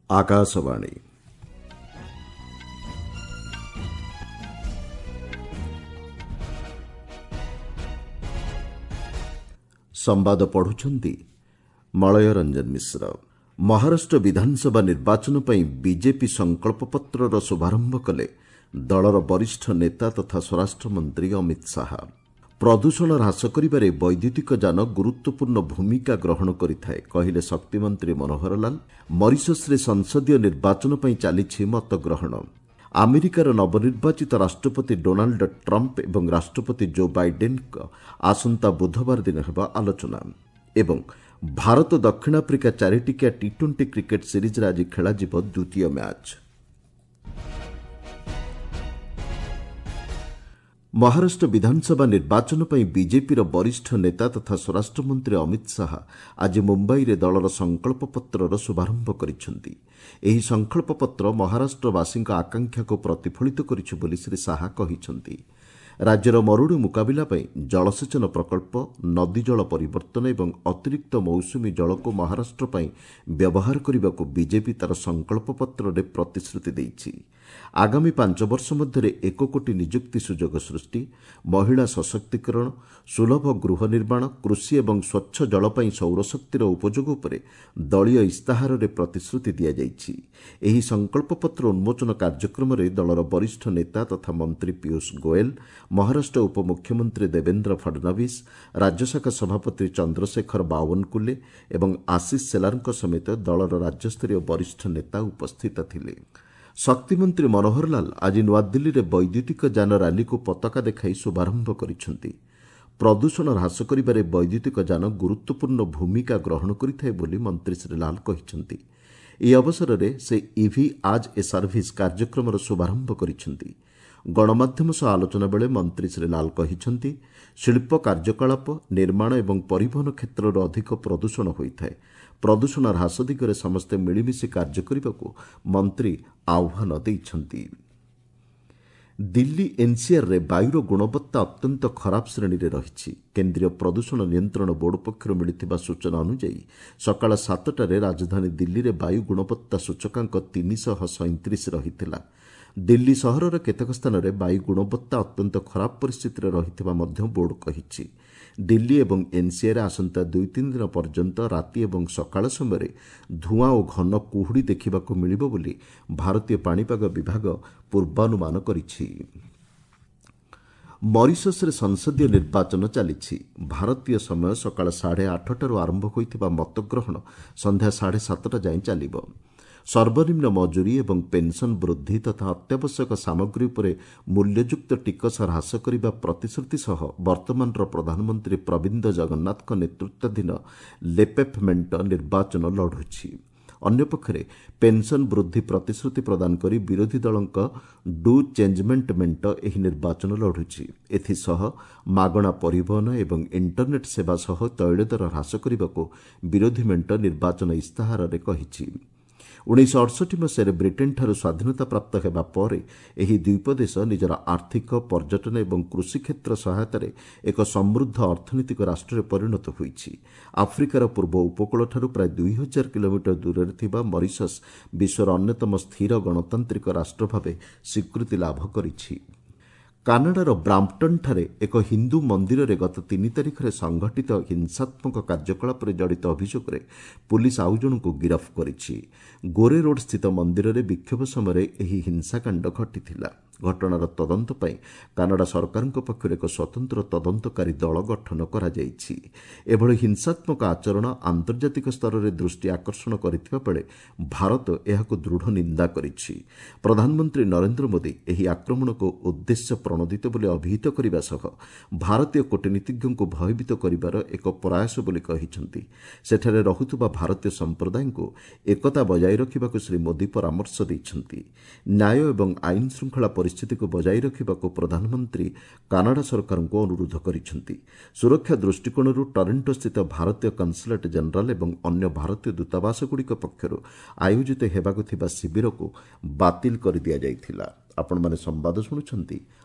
ଆକାଶବାଣୀ। ସମ୍ବାଦ ପଢୁଛନ୍ତି ମଳୟ ରଞ୍ଜନ ମିଶ୍ର। ମହାରାଷ୍ଟ୍ର ବିଧାନସଭା ନିର୍ବାଚନ ପାଇଁ ବିଜେପି ସଂକଳ୍ପପତ୍ରର ଶୁଭାରମ୍ଭ କଲେ ଦଳର ବରିଷ୍ଠ ନେତା ତଥା ସ୍ୱରାଷ୍ଟ୍ରମନ୍ତ୍ରୀ ଅମିତ ଶାହା। ପ୍ରଦୂଷଣ ହ୍ରାସ କରିବାରେ ବୈଦ୍ୟୁତିକ ଯାନ ଗୁରୁତ୍ୱପୂର୍ଣ୍ଣ ଭୂମିକା ଗ୍ରହଣ କରିଥାଏ, କହିଲେ ଶକ୍ତିମନ୍ତ୍ରୀ ମନୋହର ଲାଲ। ମରିସସ୍ରେ ସଂସଦୀୟ ନିର୍ବାଚନ ପାଇଁ ଚାଲିଛି ମତଗ୍ରହଣ। ଆମେରିକାର ନବନିର୍ବାଚିତ ରାଷ୍ଟ୍ରପତି ଡୋନାଲ୍ଡ ଟ୍ରମ୍ପ ଏବଂ ରାଷ୍ଟ୍ରପତି ଜୋ ବାଇଡେନ୍ଙ୍କ ଆସନ୍ତା ବୁଧବାର ଦିନ ହେବ ଆଲୋଚନା। ଏବଂ ଭାରତ ଦକ୍ଷିଣ ଆଫ୍ରିକା ଚାରିଟିକିଆ ଟି ଟ୍ୱେଣ୍ଟି କ୍ରିକେଟ୍ ସିରିଜ୍ରେ ଆଜି ଖେଳାଯିବ ଦ୍ୱିତୀୟ ମ୍ୟାଚ୍। ମହାରାଷ୍ଟ୍ର ବିଧାନସଭା ନିର୍ବାଚନ ପାଇଁ ବିଜେପିର ବରିଷ୍ଠ ନେତା ତଥା ସ୍ୱରାଷ୍ଟ୍ରମନ୍ତ୍ରୀ ଅମିତ ଶାହା ଆଜି ମୁମ୍ବାଇରେ ଦଳର ସଂକଳ୍ପପତ୍ରର ଶୁଭାରମ୍ଭ କରିଛନ୍ତି। ଏହି ସଂକଳ୍ପପତ୍ର ମହାରାଷ୍ଟ୍ରବାସୀଙ୍କ ଆକାଂକ୍ଷାକୁ ପ୍ରତିଫଳିତ କରିଛି ବୋଲି ଶ୍ରୀ ଶାହା କହିଛନ୍ତି। ରାଜ୍ୟର ମରୁଡ଼ି ମୁକାବିଲା ପାଇଁ ଜଳସେଚନ ପ୍ରକଳ୍ପ, ନଦୀ ଜଳ ପରିବର୍ତ୍ତନ ଏବଂ ଅତିରିକ୍ତ ମୌସୁମୀ ଜଳକୁ ମହାରାଷ୍ଟ୍ର ପାଇଁ ବ୍ୟବହାର କରିବାକୁ ବିଜେପି ତା'ର ସଂକଳ୍ପପତ୍ରରେ ପ୍ରତିଶ୍ରୁତି ଦେଇଛି। ଆଗାମୀ 5 ବର୍ଷ ମଧ୍ୟରେ 1 କୋଟି ନିଯୁକ୍ତି ସୁଯୋଗ ସୃଷ୍ଟି, ମହିଳା ସଶକ୍ତିକରଣ, ସୁଲଭ ଗୃହ ନିର୍ମାଣ, କୃଷି ଏବଂ ସ୍ୱଚ୍ଛ ଜଳ ପାଇଁ ସୌରଶକ୍ତିର ଉପଯୋଗ ଉପରେ ଦଳୀୟ ଇସ୍ତାହାରରେ ପ୍ରତିଶ୍ରୁତି ଦିଆଯାଇଛି। ଏହି ସଂକଳ୍ପପତ୍ର ଉନ୍ମୋଚନ କାର୍ଯ୍ୟକ୍ରମରେ ଦଳର ବରିଷ୍ଠ ନେତା ତଥା ମନ୍ତ୍ରୀ ପୀୟୁଷ ଗୋଏଲ, ମହାରାଷ୍ଟ୍ର ଉପମୁଖ୍ୟମନ୍ତ୍ରୀ ଦେବେନ୍ଦ୍ର ଫଡନବିସ୍, ରାଜ୍ୟଶାଖା ସଭାପତି ଚନ୍ଦ୍ରଶେଖର ବାୱନକୁଲେ ଏବଂ ଆଶିଷ ସେଲାରଙ୍କ ସମେତ ଦଳର ରାଜ୍ୟସ୍ତରୀୟ ବରିଷ୍ଠ ନେତା ଉପସ୍ଥିତ ଥିଲେ। ଶକ୍ତିମନ୍ତ୍ରୀ ମନୋହର ଲାଲ ଆଜି ନୂଆଦିଲ୍ଲୀରେ ବୈଦ୍ୟୁତିକ ଯାନ ରାଲିକୁ ପତାକା ଦେଖାଇ ଶୁଭାରମ୍ଭ କରିଛନ୍ତି। ପ୍ରଦୂଷଣ ହ୍ରାସ କରିବାରେ ବୈଦ୍ୟୁତିକ ଯାନ ଗୁରୁତ୍ୱପୂର୍ଣ୍ଣ ଭୂମିକା ଗ୍ରହଣ କରିଥାଏ ବୋଲି ମନ୍ତ୍ରୀ ଶ୍ରୀ ଲାଲ କହିଛନ୍ତି। ଏହି ଅବସରରେ ସେ ଇଭି ଆଜ୍ ଏ ସର୍ଭିସ୍ କାର୍ଯ୍ୟକ୍ରମର ଶୁଭାରମ୍ଭ କରିଛନ୍ତି। ଗଣମାଧ୍ୟମ ସହ ଆଲୋଚନା ବେଳେ ମନ୍ତ୍ରୀ ଶ୍ରୀ ଲାଲ କହିଛନ୍ତି, ଶିଳ୍ପ କାର୍ଯ୍ୟକଳାପ, ନିର୍ମାଣ ଏବଂ ପରିବହନ କ୍ଷେତ୍ରରୁ ଅଧିକ ପ୍ରଦୂଷଣ ହୋଇଥାଏ। ପ୍ରଦୂଷଣ ହ୍ରାସ ଦିଗରେ ସମସ୍ତେ ମିଳିମିଶି କାର୍ଯ୍ୟ କରିବାକୁ ମନ୍ତ୍ରୀ ଆହ୍ୱାନ ଦେଇଛନ୍ତି। ଦିଲ୍ଲୀ ଏନ୍ସିଆର୍ରେ ବାୟୁର ଗୁଣବତ୍ତା ଅତ୍ୟନ୍ତ ଖରାପ ଶ୍ରେଣୀରେ ରହିଛି। କେନ୍ଦ୍ରୀୟ ପ୍ରଦୂଷଣ ନିୟନ୍ତ୍ରଣ ବୋର୍ଡ ପକ୍ଷରୁ ମିଳିଥିବା ସୂଚନା ଅନୁଯାୟୀ ସକାଳ 7ଟାରେ ରାଜଧାନୀ ଦିଲ୍ଲୀରେ ବାୟୁ ଗୁଣବତ୍ତା ସୂଚକାଙ୍କ 337 ରହିଥିଲା। ଦିଲ୍ଲୀ ସହରର କେତେକ ସ୍ଥାନରେ ବାୟୁ ଗୁଣବତ୍ତା ଅତ୍ୟନ୍ତ ଖରାପ ପରିସ୍ଥିତିରେ ରହିଥିବା ମଧ୍ୟ ବୋର୍ଡ କହିଛି। ଦିଲ୍ଲୀ ଏବଂ ଏନ୍ସିଆର୍ରେ ଆସନ୍ତା 2-3 ଦିନ ପର୍ଯ୍ୟନ୍ତ ରାତି ଏବଂ ସକାଳ ସମୟରେ ଧୂଆଁ ଓ ଘନ କୁହୁଡ଼ି ଦେଖିବାକୁ ମିଳିବ ବୋଲି ଭାରତୀୟ ପାଣିପାଗ ବିଭାଗ ପୂର୍ବାନୁମାନ କରିଛି। ମରିସସ୍ରେ ସଂସଦୀୟ ନିର୍ବାଚନ ଚାଲିଛି। ଭାରତୀୟ ସମୟ ସକାଳ 8:30ଟାରୁ ଆରମ୍ଭ ହୋଇଥିବା ମତଗ୍ରହଣ ସନ୍ଧ୍ୟା 7:30 ଯାଏଁ ଚାଲିବ। ସର୍ବନିମ୍ନ ମଜୁରୀ ଏବଂ ପେନ୍ସନ୍ ବୃଦ୍ଧି ତଥା ଅତ୍ୟାବଶ୍ୟକ ସାମଗ୍ରୀ ଉପରେ ମୂଲ୍ୟଯୁକ୍ତ ଟିକସ ହ୍ରାସ କରିବା ପ୍ରତିଶ୍ରୁତି ସହ ବର୍ତ୍ତମାନର ପ୍ରଧାନମନ୍ତ୍ରୀ ପ୍ରବୀନ୍ଦ ଜଗନ୍ନାଥଙ୍କ ନେତୃତ୍ୱାଧୀନ ଲେପେପ୍ ମେଣ୍ଟ ନିର୍ବାଚନ ଲଢ଼ୁଛି। ଅନ୍ୟପକ୍ଷରେ ପେନ୍ସନ୍ ବୃଦ୍ଧି ପ୍ରତିଶ୍ରୁତି ପ୍ରଦାନ କରି ବିରୋଧୀ ଦଳଙ୍କ ଡୁ ଚେଞ୍ଜମେଣ୍ଟ ମେଣ୍ଟ ଏହି ନିର୍ବାଚନ ଲଢ଼ୁଛି। ଏଥିସହ ମାଗଣା ପରିବହନ ଏବଂ ଇଣ୍ଟରନେଟ୍ ସେବା ସହ ତୈଳଦର ହ୍ରାସ କରିବାକୁ ବିରୋଧୀ ମେଣ୍ଟ ନିର୍ବାଚନ ଇସ୍ତାହାରରେ କହିଛି। 1968 ମସିହାରେ ବ୍ରିଟେନ୍ଠାରୁ ସ୍ୱାଧୀନତା ପ୍ରାପ୍ତ ହେବା ପରେ ଏହି ଦ୍ୱୀପ ଦେଶ ନିଜର ଆର୍ଥିକ, ପର୍ଯ୍ୟଟନ ଏବଂ କୃଷି କ୍ଷେତ୍ର ସହାୟତାରେ ଏକ ସମୃଦ୍ଧ ଅର୍ଥନୈତିକ ରାଷ୍ଟ୍ରରେ ପରିଣତ ହୋଇଛି। ଆଫ୍ରିକାର ପୂର୍ବ ଉପକୂଳଠାରୁ ପ୍ରାୟ 2000 କିଲୋମିଟର ଦୂରରେ ଥିବା ମରିସସ୍ ବିଶ୍ୱର ଅନ୍ୟତମ ସ୍ଥିର ଗଣତାନ୍ତ୍ରିକ ରାଷ୍ଟ୍ର ଭାବେ ସ୍ୱୀକୃତି ଲାଭ କରିଛି। କାନାଡ଼ାର ବ୍ରାମ୍ପଟନ୍ଠାରେ ଏକ ହିନ୍ଦୁ ମନ୍ଦିରରେ ଗତ 3 ତାରିଖରେ ସଂଘଟିତ ହିଂସାତ୍ମକ କାର୍ଯ୍ୟକଳାପରେ ଜଡ଼ିତ ଅଭିଯୋଗରେ ପୁଲିସ୍ ଆଉ ଜଣଙ୍କୁ ଗିରଫ କରିଛି। ଗୋରେ ରୋଡ୍ ସ୍ଥିତ ମନ୍ଦିରରେ ବିକ୍ଷୋଭ ସମୟରେ ଏହି ହିଂସାକାଣ୍ଡ ଘଟିଥିଲା। ଘଟଣାର ତଦନ୍ତ ପାଇଁ କାନାଡ଼ା ସରକାରଙ୍କ ପକ୍ଷରୁ ଏକ ସ୍ୱତନ୍ତ୍ର ତଦନ୍ତକାରୀ ଦଳ ଗଠନ କରାଯାଇଛି। ଏଭଳି ହିଂସାତ୍ମକ ଆଚରଣ ଆନ୍ତର୍ଜାତିକ ସ୍ତରରେ ଦୃଷ୍ଟି ଆକର୍ଷଣ କରିଥିବା ବେଳେ ଭାରତ ଏହାକୁ ଦୃଢ଼ ନିନ୍ଦା କରିଛି। ପ୍ରଧାନମନ୍ତ୍ରୀ ନରେନ୍ଦ୍ର ମୋଦି ଏହି ଆକ୍ରମଣକୁ ଉଦ୍ଦେଶ୍ୟ ପ୍ରଣୋଦିତ ବୋଲି ଅଭିହିତ କରିବା ସହ ଭାରତୀୟ କୂଟନୀତିଜ୍ଞଙ୍କୁ ଭୟଭୀତ କରିବାର ଏକ ପ୍ରୟାସ ବୋଲି କହିଛନ୍ତି। ସେଠାରେ ରହୁଥିବା ଭାରତୀୟ ସମ୍ପ୍ରଦାୟଙ୍କୁ ଏକତା ବଜାୟ ରଖିବାକୁ ଶ୍ରୀ ମୋଦି ପରାମର୍ଶ ଦେଇଛନ୍ତି। ନ୍ୟାୟ ଏବଂ ଆଇନ ଶୃଙ୍ଖଳା ପରିସ୍ଥିତିକୁ ବଜାୟ ରଖିବାକୁ ପ୍ରଧାନମନ୍ତ୍ରୀ କାନାଡ଼ା ସରକାରଙ୍କୁ ଅନୁରୋଧ କରିଛନ୍ତି। ସୁରକ୍ଷା ଦୃଷ୍ଟିକୋଣରୁ ଟରେଣ୍ଟୋସ୍ଥିତ ଭାରତୀୟ କନ୍ସୁଲେଟ୍ ଜେନେରାଲ ଏବଂ ଅନ୍ୟ ଭାରତୀୟ ଦୂତାବାସଗୁଡ଼ିକ ପକ୍ଷରୁ ଆୟୋଜିତ ହେବାକୁ ଥିବା ଶିବିରକୁ ବାତିଲ କରିଦିଆଯାଇଥିଲା। ଆପଣମାନେ ସମ୍ବାଦ ଶୁଣୁଛନ୍ତି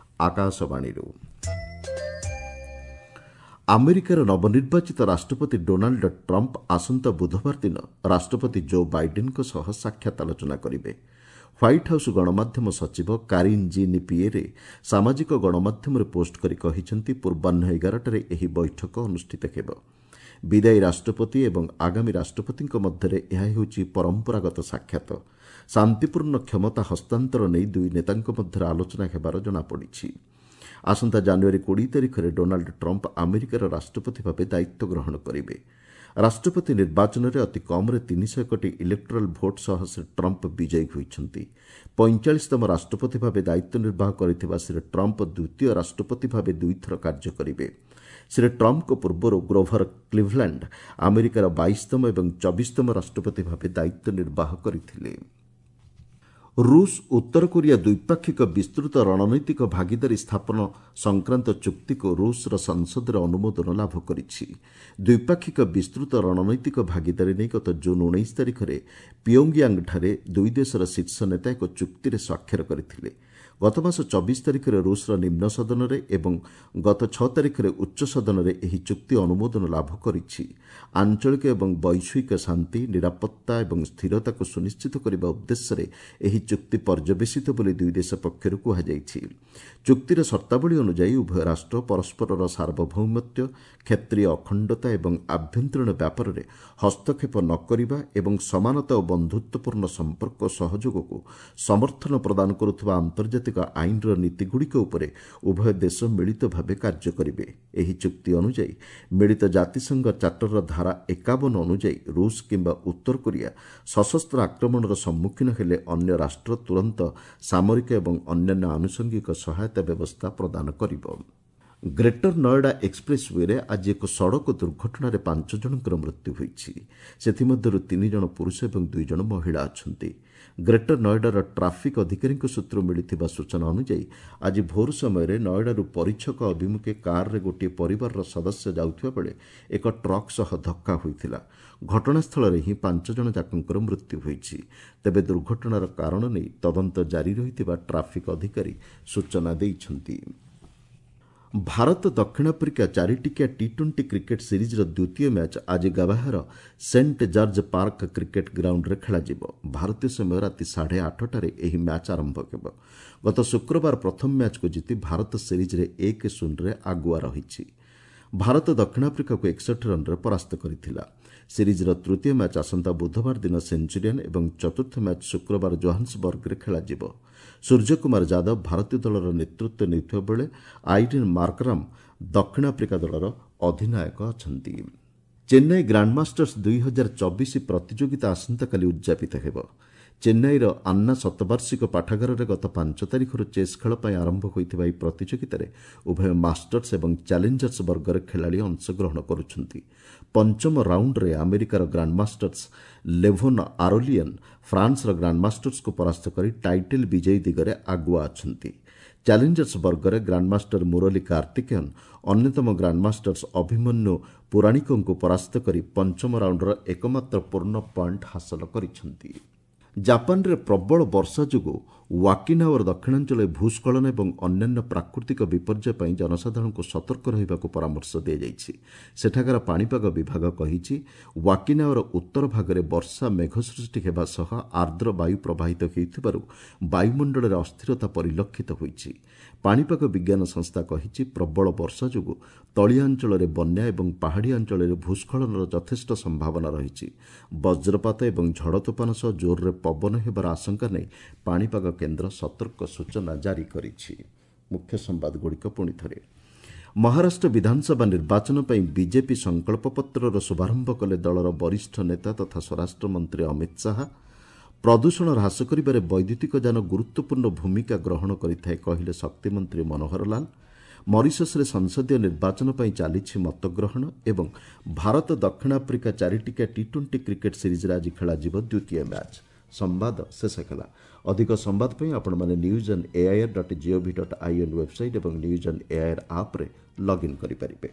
ଆକାଶବାଣୀରୁ। ଆମେରିକାର ନବନିର୍ବାଚିତ ରାଷ୍ଟ୍ରପତି ଡୋନାଲ୍ଡ ଟ୍ରମ୍ପ ଆସନ୍ତା ବୁଧବାର ଦିନ ରାଷ୍ଟ୍ରପତି ଜୋ ବାଇଡେନ୍ଙ୍କ ସହ ସାକ୍ଷାତ ଆଲୋଚନା କରିବେ। ହ୍ୱାଇଟ୍ ହାଉସ୍ ଗଣମାଧ୍ୟମ ସଚିବ କାରିନ୍ ଜିନ୍ ପିଏରେ ସାମାଜିକ ଗଣମାଧ୍ୟମରେ ପୋଷ୍ଟ କରି କହିଛନ୍ତି, ପୂର୍ବାହ୍ନ 11ଟାରେ ଏହି ବୈଠକ ଅନୁଷ୍ଠିତ ହେବ। ବିଦାୟୀ ରାଷ୍ଟ୍ରପତି ଏବଂ ଆଗାମୀ ରାଷ୍ଟ୍ରପତିଙ୍କ ମଧ୍ୟରେ ଏହା ହେଉଛି ପରମ୍ପରାଗତ ସାକ୍ଷାତ। ଶାନ୍ତିପୂର୍ଣ୍ଣ କ୍ଷମତା ହସ୍ତାନ୍ତର ନେଇ ଦୁଇ ନେତାଙ୍କ ମଧ୍ୟରେ ଆଲୋଚନା ହେବାର ଜଣାପଡ଼ିଛି। ଆସନ୍ତା ଜାନୁଆରୀ 20 ତାରିଖରେ ଡୋନାଲ୍ଡ ଟ୍ରମ୍ପ ଆମେରିକାର ରାଷ୍ଟ୍ରପତି ଭାବେ ଦାୟିତ୍ୱ ଗ୍ରହଣ କରିବେ। ରାଷ୍ଟ୍ରପତି ନିର୍ବାଚନରେ ଅତି କମ୍ରେ 301ଟି ଇଲେକ୍ଟୋରାଲ୍ ଭୋଟ୍ ସହ ଶ୍ରୀ ଟ୍ରମ୍ପ ବିଜୟୀ ହୋଇଛନ୍ତି। 45ତମ ରାଷ୍ଟ୍ରପତି ଭାବେ ଦାୟିତ୍ୱ ନିର୍ବାହ କରିଥିବା ଶ୍ରୀ ଟ୍ରମ୍ପ ଦ୍ୱିତୀୟ ରାଷ୍ଟ୍ରପତି ଭାବେ ଦୁଇଥର କାର୍ଯ୍ୟ କରିବେ। ଶ୍ରୀ ଟ୍ରମ୍ପଙ୍କ ପୂର୍ବରୁ ଗ୍ରୋଭର କ୍ଲିଭଲ୍ୟାଣ୍ଡ ଆମେରିକାର 22ତମ ଏବଂ 24ତମ ରାଷ୍ଟ୍ରପତି ଭାବେ ଦାୟିତ୍ୱ ନିର୍ବାହ କରିଥିଲେ। ରୁଷ ଉତ୍ତର କୋରିଆ ଦ୍ୱିପାକ୍ଷିକ ବିସ୍ତୃତ ରଣନୈତିକ ଭାଗିଦାରୀ ସ୍ଥାପନ ସଂକ୍ରାନ୍ତ ଚୁକ୍ତିକୁ ରୁଷର ସଂସଦରେ ଅନୁମୋଦନ ଲାଭ କରିଛି। ଦ୍ୱିପାକ୍ଷିକ ବିସ୍ତୃତ ରଣନୈତିକ ଭାଗିଦାରୀ ନେଇ ଗତ ଜୁନ୍ 19 ତାରିଖରେ ପିଓଙ୍ଗୟାଙ୍ଗଠାରେ ଦୁଇ ଦେଶର ଶୀର୍ଷ ନେତା ଏକ ଚୁକ୍ତିରେ ସ୍ୱାକ୍ଷର କରିଥିଲେ। ଗତମାସ 24 ତାରିଖରେ ରୁଷର ନିମ୍ନ ସଦନରେ ଏବଂ ଗତ 6 ତାରିଖରେ ଉଚ୍ଚ ସଦନରେ ଏହି ଚୁକ୍ତି ଅନୁମୋଦନ ଲାଭ କରିଛି। ଆଞ୍ଚଳିକ ଏବଂ ବୈଶ୍ୱିକ ଶାନ୍ତି, ନିରାପତ୍ତା ଏବଂ ସ୍ଥିରତାକୁ ସୁନିଶ୍ଚିତ କରିବା ଉଦ୍ଦେଶ୍ୟରେ ଏହି ଚୁକ୍ତି ପର୍ଯ୍ୟବେସିତ ବୋଲି ଦୁଇ ଦେଶ ପକ୍ଷରୁ କୁହାଯାଇଛି। ଚୁକ୍ତିର ସର୍ତ୍ତାବଳୀ ଅନୁଯାୟୀ ଉଭୟ ରାଷ୍ଟ୍ର ପରସ୍ପରର ସାର୍ବଭୌମତ୍ୱ, କ୍ଷେତ୍ରୀୟ ଅଖଣ୍ଡତା ଏବଂ ଆଭ୍ୟନ୍ତରୀଣ ବ୍ୟାପାରରେ ହସ୍ତକ୍ଷେପ ନ କରିବା ଏବଂ ସମାନତା ଓ ବନ୍ଧୁତ୍ୱପୂର୍ଣ୍ଣ ସମ୍ପର୍କ ସହଯୋଗକୁ ସମର୍ଥନ ପ୍ରଦାନ କରୁଥିବା ଆନ୍ତର୍ଜାତିକ ଆଇନର ନୀତିଗୁଡ଼ିକ ଉପରେ ଉଭୟ ଦେଶ ମିଳିତ ଭାବେ କାର୍ଯ୍ୟ କରିବେ। ଏହି ଚୁକ୍ତି ଅନୁଯାୟୀ ମିଳିତ ଜାତିସଂଘ ଚାର୍ଟରର ଧାରା 51 ଅନୁଯାୟୀ ରୁଷ କିମ୍ବା ଉତ୍ତର କୋରିଆ ସଶସ୍ତ୍ର ଆକ୍ରମଣର ସମ୍ମୁଖୀନ ହେଲେ ଅନ୍ୟ ରାଷ୍ଟ୍ର ତୁରନ୍ତ ସାମରିକ ଏବଂ ଅନ୍ୟାନ୍ୟ ଆନୁଷଙ୍ଗିକ ସହାୟତା ବ୍ୟବସ୍ଥା ପ୍ରଦାନ କରିବ। ଗ୍ରେଟର ନୋଏଡା ଏକ୍ସପ୍ରେସ୍ ୱେରେ ଆଜି ଏକ ସଡ଼କ ଦୁର୍ଘଟଣାରେ 5 ଜଣଙ୍କର ମୃତ୍ୟୁ ହୋଇଛି। ସେଥିମଧ୍ୟରୁ 3 ଜଣ ପୁରୁଷ ଏବଂ 2 ଜଣ ମହିଳା ଅଛନ୍ତି। ଗ୍ରେଟର ନୋଏଡାର ଟ୍ରାଫିକ୍ ଅଧିକାରୀଙ୍କ ସୂତ୍ରରୁ ମିଳିଥିବା ସୂଚନା ଅନୁଯାୟୀ ଆଜି ଭୋର ସମୟରେ ନୋଏଡାରୁ ପରିଛକ ଅଭିମୁଖେ କାର୍ରେ ଗୋଟିଏ ପରିବାରର ସଦସ୍ୟ ଯାଉଥିବା ବେଳେ ଏକ ଟ୍ରକ୍ ସହ ଧକ୍କା ହୋଇଥିଲା। ଘଟଣାସ୍ଥଳରେ ହିଁ 5 ଜଣ ଯାକଙ୍କର ମୃତ୍ୟୁ ହୋଇଛି। ତେବେ ଦୁର୍ଘଟଣାର କାରଣ ନେଇ ତଦନ୍ତ ଜାରି ରହିଥିବା ଟ୍ରାଫିକ୍ ଅଧିକାରୀ ସୂଚନା ଦେଇଛନ୍ତି। ଭାରତ ଦକ୍ଷିଣ ଆଫ୍ରିକା 4ଟିକିଆ ଟି-20 କ୍ରିକେଟ୍ ସିରିଜ୍ର ଦ୍ୱିତୀୟ ମ୍ୟାଚ୍ ଆଜି ଗାବାହାର ସେଣ୍ଟ ଜର୍ଜ ପାର୍କ କ୍ରିକେଟ୍ ଗ୍ରାଉଣ୍ଡରେ ଖେଳାଯିବ। ଭାରତୀୟ ସମୟ ରାତି 8:30ଟାରେ ଏହି ମ୍ୟାଚ୍ ଆରମ୍ଭ ହେବ। ଗତ ଶୁକ୍ରବାର ପ୍ରଥମ ମ୍ୟାଚ୍କୁ ଜିତି ଭାରତ ସିରିଜ୍ରେ 1-0ରେ ଆଗୁଆ ରହିଛି। ଭାରତ ଦକ୍ଷିଣ ଆଫ୍ରିକାକୁ 61 ରନ୍ରେ ପରାସ୍ତ କରିଥିଲା। ସିରିଜ୍ର ତୃତୀୟ ମ୍ୟାଚ୍ ଆସନ୍ତା ବୁଧବାର ଦିନ ସେଞ୍ଚୁରିଆନ୍ ଏବଂ ଚତୁର୍ଥ ମ୍ୟାଚ୍ ଶୁକ୍ରବାର ଜୋହାନ୍ସବର୍ଗରେ ଖେଳାଯିବ। ସୂର୍ଯ୍ୟକୁମାର ଯାଦବ ଭାରତୀୟ ଦଳର ନେତୃତ୍ୱ ନେଉଥିବା ବେଳେ ଆଇଡେନ୍ ମାର୍କରାମ୍ ଦକ୍ଷିଣ ଆଫ୍ରିକା ଦଳର ଅଧିନାୟକ ଅଛନ୍ତି। ଚେନ୍ନାଇ ଗ୍ରାଣ୍ଡମାଷ୍ଟର୍ସ 2024 ପ୍ରତିଯୋଗିତା ଆସନ୍ତାକାଲି ଉଦ୍ଯାପିତ ହେବ। ଚେନ୍ନାଇର ଆନ୍ନା ଶତବାର୍ଷିକ ପାଠାଗାରରେ ଗତ 5 ତାରିଖରୁ ଚେସ୍ ଖେଳ ପାଇଁ ଆରମ୍ଭ ହୋଇଥିବା ଏହି ପ୍ରତିଯୋଗିତାରେ ଉଭୟ ମାଷ୍ଟର୍ସ ଏବଂ ଚ୍ୟାଲେଞ୍ଜର୍ସ ବର୍ଗର ଖେଳାଳି ଅଂଶଗ୍ରହଣ କରୁଛନ୍ତି। ପଞ୍ଚମ ରାଉଣ୍ଡରେ ଆମେରିକାର ଗ୍ରାଣ୍ଡମାଷ୍ଟର୍ସ ଲେଭୋନ୍ ଆରୋଲିୟନ୍ ଫ୍ରାନ୍ସର ଗ୍ରାଣ୍ଡମାଷ୍ଟର୍ସକୁ ପରାସ୍ତ କରି ଟାଇଟଲ୍ ବିଜୟୀ ଦିଗରେ ଆଗୁଆ ଅଛନ୍ତି। ଚ୍ୟାଲେଞ୍ଜର୍ସ ବର୍ଗରେ ଗ୍ରାଣ୍ଡମାଷ୍ଟର ମୁରଲୀ କାର୍ତ୍ତିକେୟନ୍ ଅନ୍ୟତମ ଗ୍ରାଣ୍ଡମାଷ୍ଟର୍ସ ଅଭିମନ୍ୟୁ ପୁରାଣିକଙ୍କୁ ପରାସ୍ତ କରି ପଞ୍ଚମ ରାଉଣ୍ଡର ଏକମାତ୍ର ପୂର୍ଣ୍ଣ ପଏଣ୍ଟ ହାସଲ କରିଛନ୍ତି। ଜାପାନରେ ପ୍ରବଳ ବର୍ଷା ଯୋଗୁଁ ୱାକିନାୱାର ଦକ୍ଷିଣାଞ୍ଚଳରେ ଭୂସ୍ଖଳନ ଏବଂ ଅନ୍ୟାନ୍ୟ ପ୍ରାକୃତିକ ବିପର୍ଯ୍ୟୟ ପାଇଁ ଜନସାଧାରଣଙ୍କୁ ସତର୍କ ରହିବାକୁ ପରାମର୍ଶ ଦିଆଯାଇଛି। ସେଠାକାର ପାଣିପାଗ ବିଭାଗ କହିଛି, ୱାକିନାୱାର ଉତ୍ତର ଭାଗରେ ବର୍ଷା ମେଘ ସୃଷ୍ଟି ହେବା ସହ ଆର୍ଦ୍ର ବାୟୁ ପ୍ରବାହିତ ହେଉଥିବାରୁ ବାୟୁମଣ୍ଡଳରେ ଅସ୍ଥିରତା ପରିଲକ୍ଷିତ ହୋଇଛି। ପାଣିପାଗ ବିଜ୍ଞାନ ସଂସ୍ଥା କହିଛି, ପ୍ରବଳ ବର୍ଷା ଯୋଗୁଁ ତଳିଆ ଅଞ୍ଚଳରେ ବନ୍ୟା ଏବଂ ପାହାଡ଼ିଆ ଅଞ୍ଚଳରେ ଭୂସ୍ଖଳନର ଯଥେଷ୍ଟ ସମ୍ଭାବନା ରହିଛି। ବଜ୍ରପାତ ଏବଂ ଝଡ଼ ତୋଫାନ ସହ ଜୋରରେ ପବନ ହେବାର ଆଶଙ୍କା ନେଇ ପାଣିପାଗ କେନ୍ଦ୍ର ସତର୍କ ସୂଚନା ଜାରି କରିଛି। ମୁଖ୍ୟ ସମ୍ବାଦଗୁଡ଼ିକ ପୁଣି ଥରେ। ମହାରାଷ୍ଟ୍ର ବିଧାନସଭା ନିର୍ବାଚନ ପାଇଁ ବିଜେପି ସଂକଳ୍ପପତ୍ରର ଶୁଭାରମ୍ଭ କଲେ ଦଳର ବରିଷ୍ଠ ନେତା ତଥା ସ୍ୱରାଷ୍ଟ୍ରମନ୍ତ୍ରୀ ଅମିତ ଶାହା। ପ୍ରଦୂଷଣ ହ୍ରାସ କରିବାରେ ବୈଦ୍ୟୁତିକ ଯାନ ଗୁରୁତ୍ୱପୂର୍ଣ୍ଣ ଭୂମିକା ଗ୍ରହଣ କରିଥାଏ କହିଲେ ଶକ୍ତିମନ୍ତ୍ରୀ ମନୋହର ଲାଲ। ମରିସସ୍ରେ ସଂସଦୀୟ ନିର୍ବାଚନ ପାଇଁ ଚାଲିଛି ମତଗ୍ରହଣ ଏବଂ ଭାରତ ଦକ୍ଷିଣ ଆଫ୍ରିକା 4ଟିକିଆ ଟି-20 କ୍ରିକେଟ୍ ସିରିଜ୍ରେ ଆଜି ଖେଳାଯିବ ଦ୍ୱିତୀୟ ମ୍ୟାଚ୍। ସମ୍ବାଦ ଶେଷ ହେଲା। ଅଧିକ ସମ୍ବାଦ ପାଇଁ ଆପଣମାନେ news on AIR dot GOV dot IN website ଏବଂ ନ୍ୟୁଜ୍ ଅନ୍ ଏଆଇଆର୍ ଆପ୍ରେ ଲଗ୍ଇନ୍ କରିପାରିବେ।